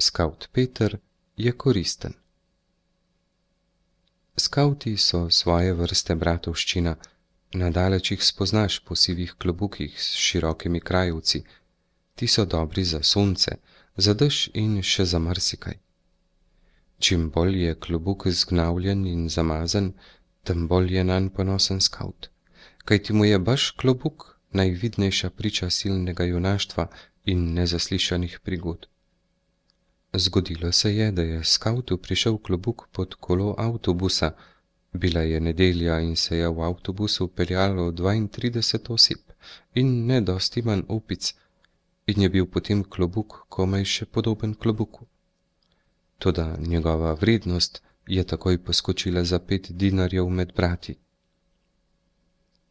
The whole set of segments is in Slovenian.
Skavt Peter je koristen. Skavti so svoje vrste bratovščina, nadaleč jih spoznaš po sivih klobukih s širokimi krajevci. Ti so dobri za sonce, za dež in še za marsikaj. Čim bolj je klobuk zgnavljen in zamazan, tem bolj je nanj ponosen skavt, kajti mu je baš klobuk najvidnejša priča silnega junaštva in nezaslišanih prigod. Zgodilo se je, da je skavtu prišel klobuk pod kolo avtobusa. Bila je nedelja in se je v avtobusu peljalo 32 oseb in ne dosti manj opic, in je bil potem klobuk komaj še podoben klobuku. Toda njegova vrednost je takoj poskočila za 5 dinarjev med brati.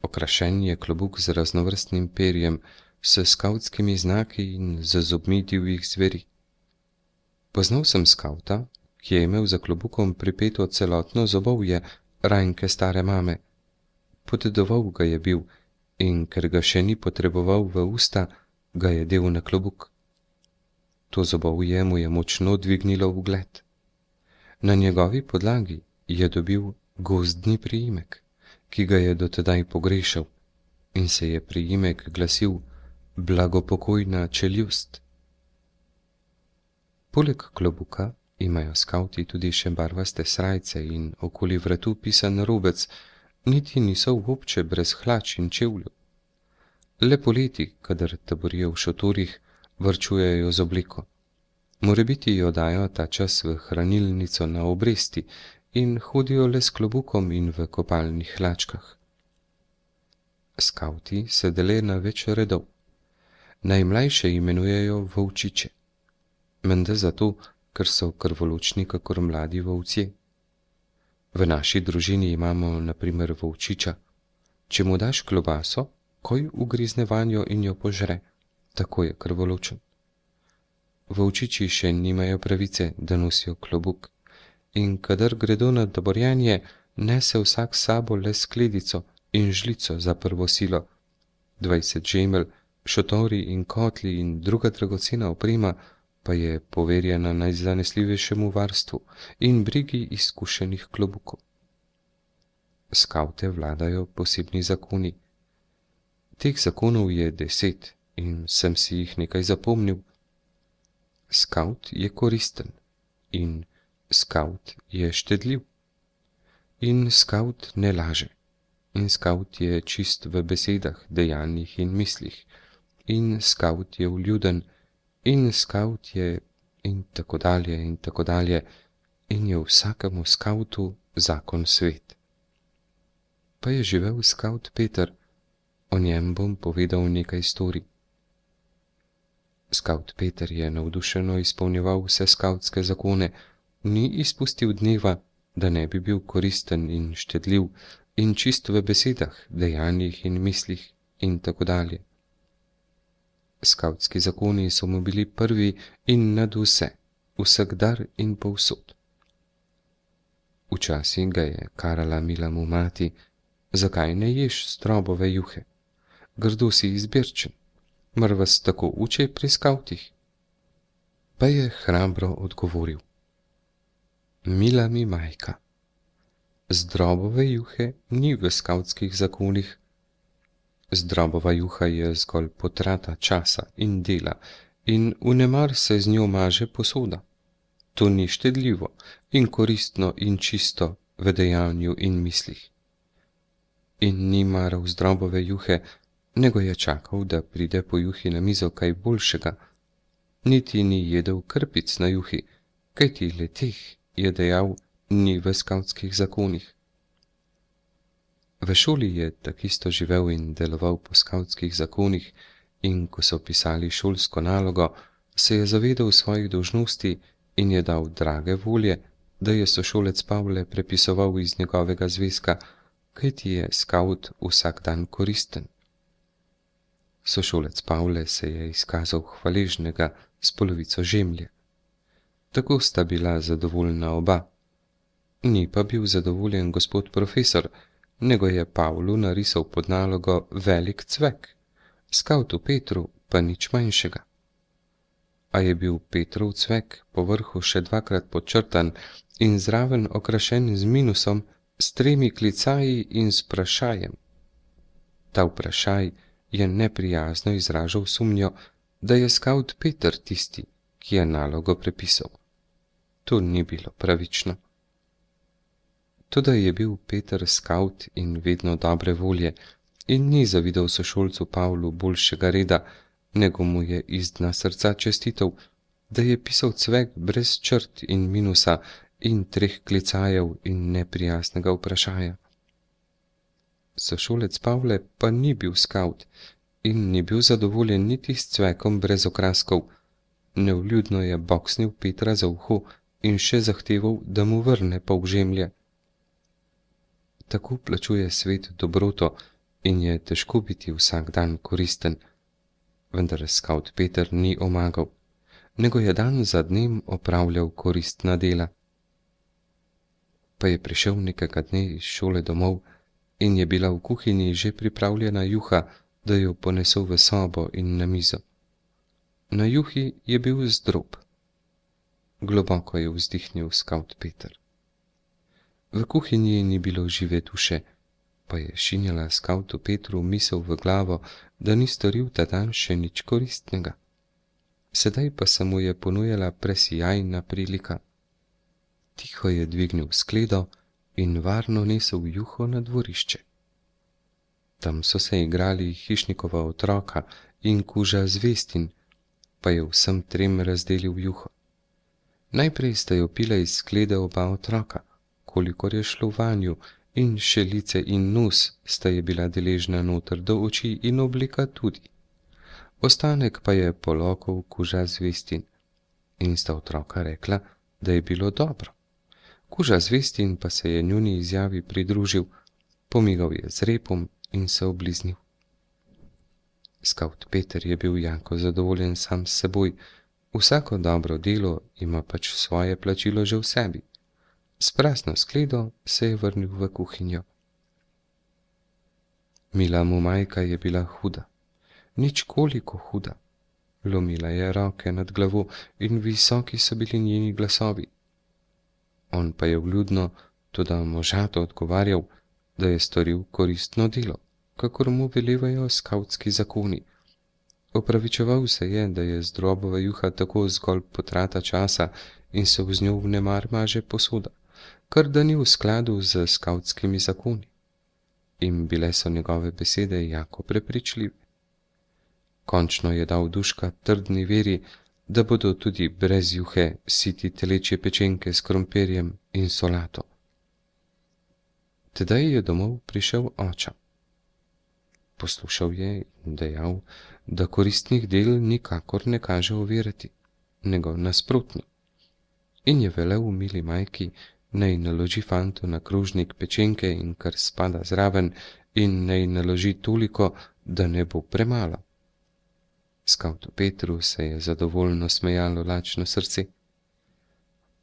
Okrašen je klobuk z raznovrstnim perjem, s skavtskimi znaki in z zobmi divjih zveri. Poznal sem skavta, ki je imel za klobukom pripeto celotno zobovje rajnke stare mame. Podedoval ga je bil in ker ga še ni potreboval v usta, ga je del na klobuk. To zobovje mu je močno dvignilo ugled. Na njegovi podlagi je dobil gozdni priimek, ki ga je dotedaj pogrešal, in se je priimek glasil blagopokojna čeljust. Poleg klobuka imajo skavti tudi še barvaste srajce in okoli vratu pisan robec, niti niso vobče brez hlač in čevljev. Le poleti, kadar taborijo v šotorih, varčujejo z obleko. Morebiti jo dajo ta čas v hranilnico na obresti in hodijo le s klobukom in v kopalnih hlačkah. Skavti se dele na več redov. Najmlajše imenujejo volčiče. Menda zato, ker so krvoločni kakor mladi volci. V naši družini imamo na primer volčiča. Če mu daš klobaso, koj ugrizne vanjo in jo požre, tako je krvoločen. Volčiči še nimajo pravice, da nosijo klobuk, in kadar gredo na taborjenje, nese vsak sabo le skledico in žlico za prvo silo. 20 žemelj, šotori in kotli in druga dragocena oprema pa je poverjena najzanesljivejšemu varstvu in brigi izkušenih klobukov. Skavte vladajo posebni zakoni. Teh zakonov je 10 in sem si jih nekaj zapomnil. Skavt je koristen in skavt je štedljiv in skavt ne laže in skavt je čist v besedah, dejanjih in mislih in skavt je vljuden in skavt je in tako dalje in je vsakemu skavtu zakon svet. Pa je živel skavt Peter, o njem bom povedal nekaj storij. Skavt Peter je navdušeno izpolnjeval vse skavtske zakone, ni izpustil dneva, da ne bi bil koristen in štedljiv in čist v besedah, dejanjih in mislih in tako dalje. Skavtski zakoni so mu bili prvi in nad vse, vsakdar in povsod. Včasih ga je karala mila mu mati, zakaj ne ješ strobove juhe? Grdo si izbirčen, mar vas tako uče pri skavtih? Pa je hrabro odgovoril: Mila mi majka, zdrobove juhe ni v skavtskih zakonih. Zdrobova juha je zgolj potrata časa in dela in vnemar se z njo maže posoda. To ni štedljivo in koristno in čisto v dejanju in mislih. In ni maral zdrobove juhe, nego je čakal, da pride po juhi na mizo kaj boljšega. Niti ni jedel krpic na juhi, kajti le teh, je dejal, ni v skavtskih zakonih. V šoli je takisto živel in deloval po skavtskih zakonih in ko so pisali šolsko nalogo, se je zavedal svojih dolžnosti in je dal drage volje, da je sošolec Pavle prepisoval iz njegovega zvezka, kajti je skavt vsak dan koristen. Sošolec Pavle se je izkazal hvaležnega s polovico žemlje. Tako sta bila zadovoljna oba. Ni pa bil zadovoljen gospod profesor, nego je Pavlu narisal pod nalogo velik cvek, skavtu Petru pa nič manjšega. a je bil Petrov cvek po vrhu še dvakrat podčrtan in zraven okrašen z minusom, s 3 klicaji in s vprašajem. Ta vprašaj je neprijazno izražal sumnjo, da je skavt Peter tisti, ki je nalogo prepisal. To ni bilo pravično. Toda je bil Peter skavt in vedno dobre volje in ni zavidal sošolcu Pavlu boljšega reda, nego mu je iz dna srca čestitev, da je pisal cvek brez črt in minusa in 3 klicajev in neprijaznega vprašaja. Sošolec Pavle pa ni bil skavt in ni bil zadovoljen niti s cvekom brez okraskov. Nevljudno je boksnil Petra za uho in še zahteval, da mu vrne polžemlje. Tako plačuje svet dobroto in je težko biti vsak dan koristen, vendar skavt Peter ni omagal, nego je dan za dnem opravljal koristna dela. Pa je prišel nekega dne iz šole domov in je bila v kuhinji že pripravljena juha, da jo ponesel v sobo in na mizo. Na juhi je bil zdrob. Globoko je vzdihnil skavt Peter. V kuhinji ni bilo žive duše, pa je šinjala skavtu Petru misel v glavo, da ni storil ta dan še nič koristnega. Sedaj pa se mu je ponujala presijajna prilika. Tiho je dvignil skledo in varno nesel juho na dvorišče. Tam so se igrali hišnikova otroka in kuža Zvestin, pa je vsem 3 razdelil juho. Najprej sta jo pila iz sklede oba otroka, kolikor je šlo vanju, in še lice in nos sta je bila deležna noter do oči in oblika tudi. Ostanek pa je polokal kuža Zvestin in sta otroka rekla, da je bilo dobro. Kuža Zvestin pa se je njuni izjavi pridružil, pomigal je z repom in se obliznil. Skavt Peter je bil jako zadovoljen sam s seboj, vsako dobro delo ima pač svoje plačilo že v sebi. S prazno skledo se je vrnil v kuhinjo. Mila mu majka je bila huda, nič koliko huda. Lomila je roke nad glavo in visoki so bili njeni glasovi. On pa je vljudno, toda možato odgovarjal, da je storil koristno delo, kakor mu velevajo skavtski zakoni. Opravičeval se je, da je zdrobova juha tako zgolj potrata časa in se z njo vnemar maže posoda, kar da ni v skladu z skavtskimi zakoni. In bile so njegove besede jako prepričljive. Končno je dal duška trdni veri, da bodo tudi brez juhe siti telečje pečenke s krompirjem in solato. Tedaj je domov prišel oča. Poslušal je in dejal, da koristnih del nikakor ne kaže ovirati, nego nasprotno. In je velel mili majki, naj naloži fantu na krožnik pečenke in kar spada zraven, in naj naloži toliko, da ne bo premalo. Skavtu Petru se je zadovoljno smejalo lačno srce.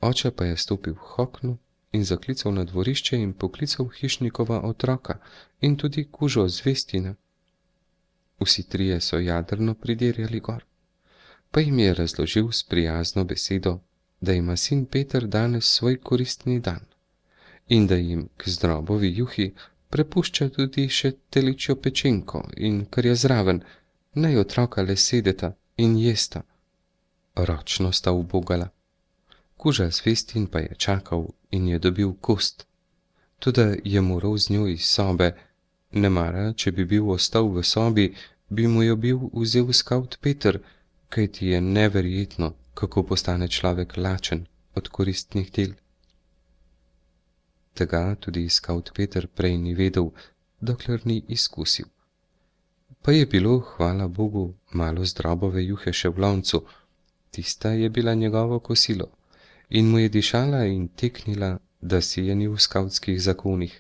Oče pa je stopil v okno in zaklical na dvorišče in poklical hišnikova otroka in tudi kužo Zvestina. Vsi 3 so jadrno pridirjali gor, pa jim je razložil s prijazno besedo, da ima sin Peter danes svoj koristni dan in da jim k zdrobovi juhi prepušča tudi še teličjo pečenko in kar je zraven, naj otroka le sedeta in jesta. Ročno sta ubogala. Kuža Zvestin pa je čakal in je dobil kost, toda je moral z njo iz sobe, nemara, če bi bil ostal v sobi, bi mu jo bil vzel skavt Peter, kajti je neverjetno, kako postane človek lačen od koristnih del. Tega tudi skavt Peter prej ni vedel, dokler ni izkusil. Pa je bilo, hvala Bogu, malo zdrobove juhe še v loncu, tista je bila njegovo kosilo in mu je dišala in teknila, da si je ni v skavtskih zakonih.